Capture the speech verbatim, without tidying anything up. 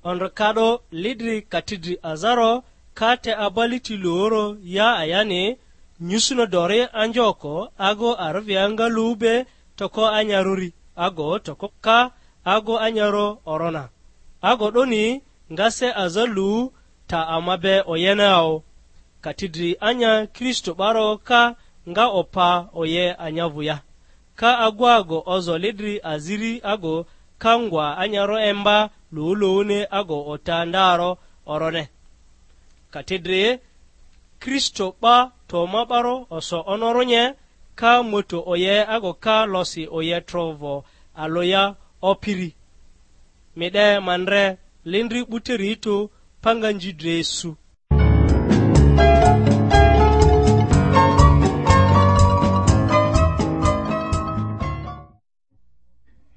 Ondrikado lidri katidri azaro ka te abali ti luoro ya ayani, nyusuno dori anjoko ago arivia nga lu be toko anyarᴜri, ago toko ka ago anyaro orona. Ago 'doni nga se aza lu ta ama be oyene ao. Katidri anya Kristo 'baro ka nga opa oye anya vᴜ ya. Ka agu ago ozo lidri aziri ago ka ngwa anyaro emba luwuluwuni ago ota ndaro orone. Katidri Kristo 'ba to ma 'baro oso onorᴜnye, ka moto oye ago ka losi oye trovo aloya opiri. Mi 'de ma ndre lindri 'buteri tᴜ panga nji dre su.